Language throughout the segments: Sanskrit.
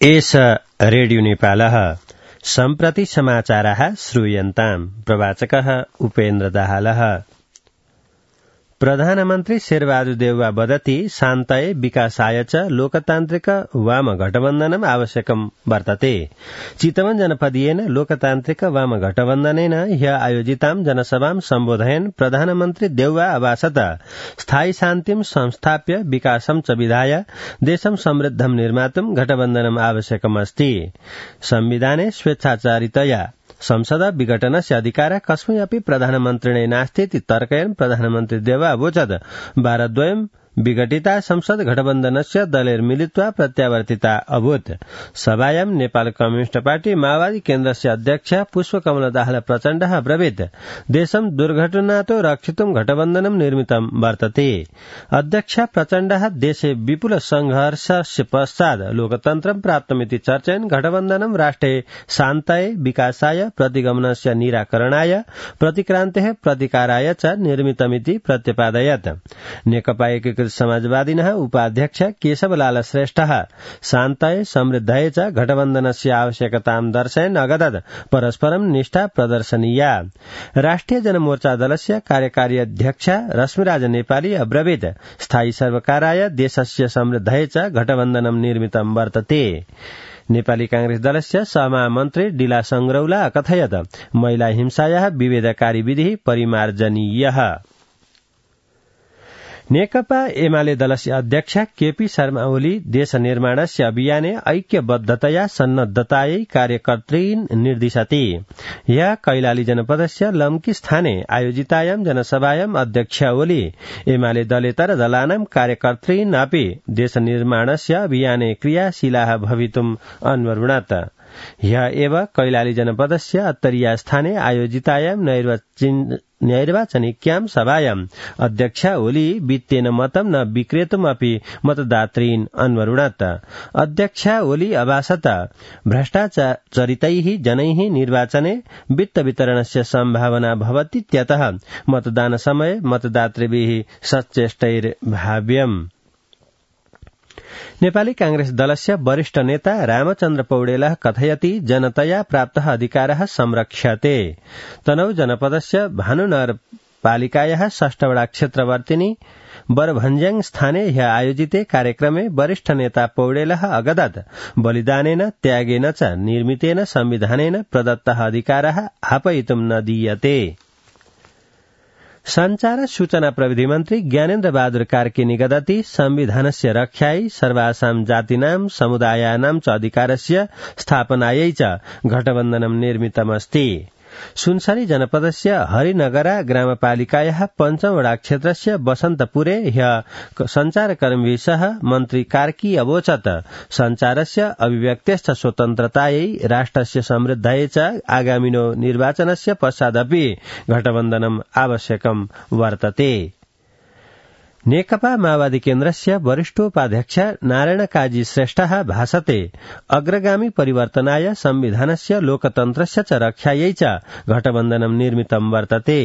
एष रेडियो नेपालः सम्प्रति समाचाराः श्रूयन्ताम्। प्रवाचकः उपेन्द्र दाहालः। प्रधानमन्त्री शेरबहादुर देउवा वदति शान्ताय विकासाय च लोकतान्त्रिक वाम गठबन्धनम् आवश्यकम् वर्तते। चितवन जनपदीयेन लोकतान्त्रिक वाम गठबन्धनेन ह्य आयोजितां जनसभां सम्बोधयन् प्रधानमन्त्री देउवा अभाषत स्थायी शान्तिं संस्थाप्य विकासं च विधाय देशं समृद्धं निर्मातुं गठबन्धनम् आवश्यकमस्ति। संविधाने स्वेच्छाचारितया संसद विघटनस्य अधिकारः कस्मै अपि प्रधानमन्त्रिणे नास्ति इति तर्कयन् प्रधानमन्त्री देउवा अवोचत् भारतद्वयं विघटिता संसद गठबन्धनस्य दलैर्मिलित्वा प्रत्यावर्तिता अभूत्। सभायां नेपाल कम्युनिस्ट पार्टी माओवादी केन्द्रस्य अध्यक्ष पुष्पकमल दाहाल प्रचण्डः अब्रवीत् देशं दुर्घटनातो रक्षितुं गठबन्धनं निर्मितं वर्तते। अध्यक्ष प्रचण्डः देशे विपुल संघर्षस्य पश्चात् लोकतन्त्रं प्राप्तमिति चर्चयन् गठबन्धनं राष्ट्रे शान्ताय विकासाय प्रतिगमनस्य निराकरणाय प्रतिक्रान्तेः प्रतिकाराय च निर्मितमिति प्रत्यपादयत्। नेकपा एकीकृत समाजवादिनः उपाध्यक्ष केशवलाल श्रेष्ठः शान्ताय समृद्धाय च गठबन्धनस्य आवश्यकतां दर्शयन् अगदत् परस्परं निष्ठा प्रदर्शनीया। राष्ट्रिय जनमोर्चा दलस्य कार्यकारी अध्यक्ष रश्मिराज नेपाली अब्रवीत् स्थायी सर्वकाराय देशस्य समृद्धाय च गठबन्धनं निर्मितं वर्तते। नेपाली कांग्रेस दलस्य सहमहामन्त्री डिला संग्रौला अकथयत् महिला हिंसायाः विभेदकारी विधिः परिमार्जनीयः। नेकपा एमाले दलस्य अध्यक्ष केपी शर्मा ओली देश निर्माणस्य अभियाने ऐक्यबद्धतया सन्नद्धतायै कार्यकर्तॄन् निर्दिशति। ह्यः कैलाली जनपदस्य लम्की स्थाने आयोजितायां जनसभायाम् अध्यक्ष ओली एमाले दलेतर दलानां कार्यकर्तॄन् अपि देश निर्माणस्य अभियाने क्रियाशीलाः भवितुम् अन्वरुणत्। ह्यः एव कैलाली जनपदस्य अत्तरिया स्थाने आयोजितायां नैर्वाचनिक्यां सभायाम् अध्यक्ष ओली वित्तेन मतं न विक्रेतुमपि मतदातॄन् अन्वरुणत्। अध्यक्ष ओली अभाषत भ्रष्टाचरितैः जनैः निर्वाचने वित्त वितरणस्य सम्भावना भवतीत्यतः मतदानसमये मतदातृभिः सचेष्टैर्भाव्यम्। नेपाली कांग्रेस दलस्य वरिष्ठ नेता रामचन्द्र पौडेलः कथयति जनतया प्राप्तः अधिकारः संरक्ष्यते। तनहु जनपदस्य भानुनगरपालिकायाः 6 वडा क्षेत्रवर्तिनी बरभञ्ज्याङ स्थाने ह्य आयोजिते कार्यक्रमे वरिष्ठ नेता पौडेलः अगदत् बलिदानेन त्यागेन च निर्मितेन संविधानेन प्रदत्तः अधिकारः आपयितुं न दीयते। संचार सूचना प्रविधि मन्त्री ज्ञानेन्द्र बहादुर कार्की निगदति संविधानस्य रक्षायै सर्वासां जातीनां समुदायानां च अधिकारस्य स्थापनायै च गठबन्धनं निर्मितमस्ति। सुनसरी जनपदस्य हरिनगरा ग्रामपालिकायाः 5 वडा क्षेत्रस्य बसन्तपुरे ह्य संचारकर्मीभिः सह मन्त्री कार्की अवोचत् संचारस्य अभिव्यक्तेश्च स्वतन्त्रतायै राष्ट्रस्य समृद्धायै च आगामिनो निर्वाचनस्य पश्चादपि गठबन्धनम् आवश्यकं वर्तते। नेकपा माओवादी केन्द्रस्य वरिष्ठोपाध्यक्ष नारायण काजी श्रेष्ठः भाषते अग्रगामी परिवर्तनाय संविधानस्य लोकतन्त्रस्य च रक्षायै च गठबन्धनं निर्मितं वर्तते।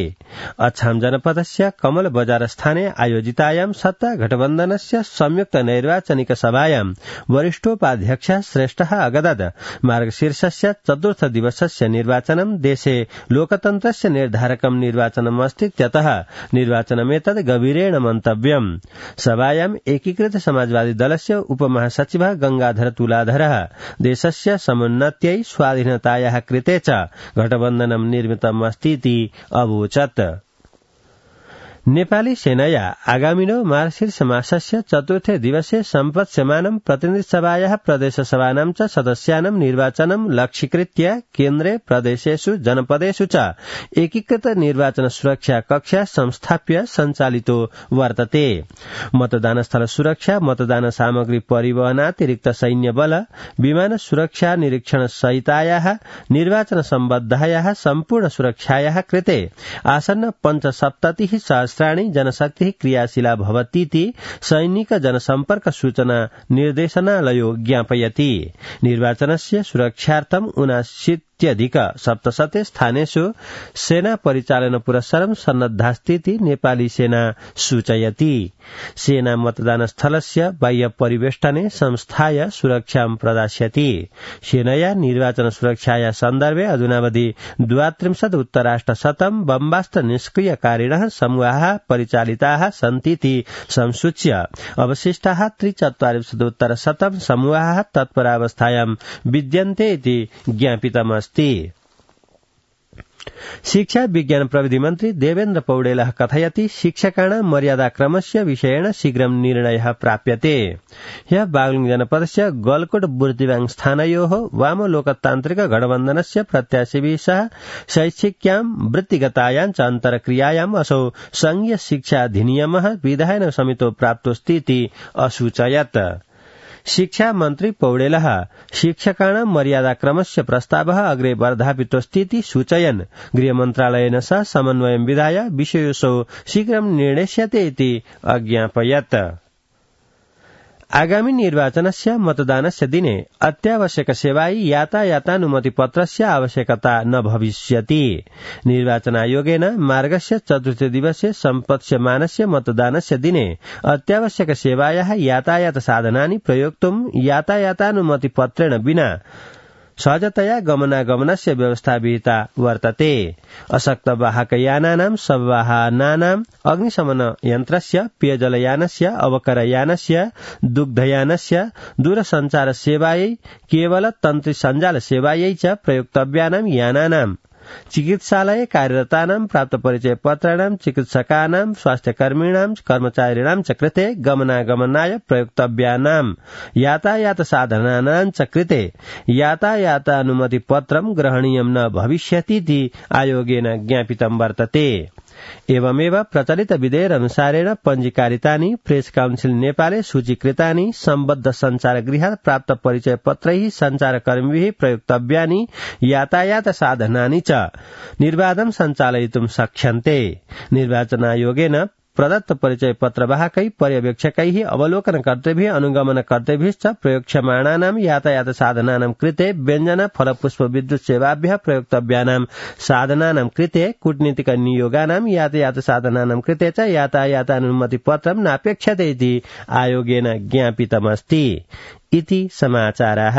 अछाम जनपदस्य कमल बजार स्थाने आयोजितायां सत्ता गठबन्धनस्य संयुक्त नैर्वाचनिक सभायां वरिष्ठोपाध्यक्ष श्रेष्ठः अगदत् मार्गशीर्षस्य 4th दिवसस्य निर्वाचनं देशे लोकतन्त्रस्य निर्धारकं निर्वाचनमस्तीत्यतः निर्वाचनमेतद् गभीरेण मन्तव्यम्। सभायाम् एकीकृत समाजवादी दलस्य उपमहासचिवः गंगाधर तुलाधरः देशस्य समुन्नत्यै स्वाधीनतायाः कृते च गठबन्धनं निर्मितमस्तीति अवोचत्। नेपाली सेनया आगामिनो मार्गशीर्ष मासस्य 4थे दिवसे सम्पत्स्यमानं प्रतिनिधिसभायाः प्रदेशसभानां च सदस्यानां निर्वाचनं लक्ष्यीकृत्य केन्द्रे प्रदेशेषु जनपदेषु च एकीकृत निर्वाचन सुरक्षा कक्षा संस्थाप्य सञ्चालितो वर्तते। मतदानस्थल सुरक्षा, मतदान सामग्री परिवहनातिरिक्त सैन्य बल, विमान सुरक्षा निरीक्षण सहितायाः निर्वाचन सम्बद्धायाः सम्पूर्ण सुरक्षायाः कृते आसन्न 5 सहस्राणि जनशक्तिः क्रियाशीला भवतीति सैनिक जनसम्पर्क सूचना निर्देशनालयो ज्ञापयति। निर्वाचनस्य सुरक्षार्थं इत्यधिक सप्तशते स्थानेषु सेना परिचालन पुरस्सरं सन्नद्धास्तीति नेपाली सेना सूचयति। सेना मतदान स्थलस्य बाह्य परिवेष्टने संस्थाय सुरक्षां प्रदास्यति। सेनया निर्वाचन सुरक्षाया सन्दर्भे अधुनावधि 32 उत्तराष्टशतं बम्बास्त्र निष्क्रियकारिणः समूहाः परिचालिताः सन्तीति संसूच्य अवशिष्टाः 43 समूहाः तत्परावस्थायां विद्यन्ते इति ज्ञापितमस्ति। शिक्षा विज्ञान प्रविधि मन्त्री देवेन्द्र पौडेलः कथयति शिक्षकाणां मर्यादाक्रमस्य विषयेण शीघ्रं निर्णयः प्राप्यते। ह्यः बागलुङ जनपदस्य गलकोट बुर्तिवाङ स्थानयोः वाम लोकतान्त्रिक गठबन्धनस्य प्रत्याशिभिः सह शैक्षिक्यां वृत्तिगतायां च अन्तर्क्रियायाम् असौ संघीय शिक्षा अधिनियमः विधायन समितो प्राप्तोऽस्तीति असूचयत्। शिक्षा मन्त्री पौडेलः शिक्षकाणां मर्यादाक्रमस्य प्रस्तावः अग्रे वर्धापितोऽस्तीति सूचयन् गृहमन्त्रालयेन सह समन्वयं विधाय विषयोऽसौ शीघ्रं निर्णेष्यते इति अज्ञापयत्। आगामी निर्वाचनस्य मतदानस्य दिने अत्यावश्यक सेवायै यातायातानुमतिपत्रस्य आवश्यकता न भविष्यति। निर्वाचनायोगेन मार्गस्य चतुर्थ दिवसे सम्पत्स्यमानस्य मतदानस्य दिने अत्यावश्यक सेवायाः यातायात साधनानि प्रयोक्तुं यातायातानुमतिपत्रेण विना सहजतया गमनागमनस्य व्यवस्था विहिता वर्तते। अशक्त वाहकयानानां सवाहनानां अग्निशमन यन्त्रस्य पेयजलयानस्य अवकरयानस्य दुग्धयानस्य दूरसञ्चार सेवायै केवल तन्त्री सञ्जाल सेवायै च प्रयोक्तव्यानां यानानां चिकित्सालये कार्यरतानां प्राप्त परिचय पत्राणां चिकित्सकानां स्वास्थ्यकर्मिणां कर्मचारिणां च कृते गमनागमनाय प्रयोक्तव्यानां यातायात साधनानां च कृते यातायातानुमतिपत्रं ग्रहणीयं न भविष्यतीति आयोगेन ज्ञापितं वर्तते। एवमेव प्रचलित विधेयकनुसारेण पञ्जीकारितानि प्रेस काउन्सिल नेपाले सूचीकृतानि सम्बद्ध सञ्चारगृहात् प्राप्त परिचय पत्रैः सञ्चारकर्मिभिः प्रयोक्तव्यानि यातायात साधनानि च निर्बाधं सञ्चालयितुं शक्यन्ते। निर्वाचनायोगेन प्रदत्त परिचय पत्रवाहकै पर्यवेक्षकैः अवलोकनकर्तृभिः अनुगमनकर्तृभिश्च प्रयोक्ष्यमाणानां यातायात साधनानां कृते व्यञ्जन फलपुष्प विद्युत सेवाभ्यः प्रयोक्तव्यानां साधनानां कृते कूटनीतिक नियोगानां यातायात साधनानां कृते च यातायातानुमतिपत्रं नापेक्षते इति आयोगेन ज्ञापितमस्ति। इति समाचाराः।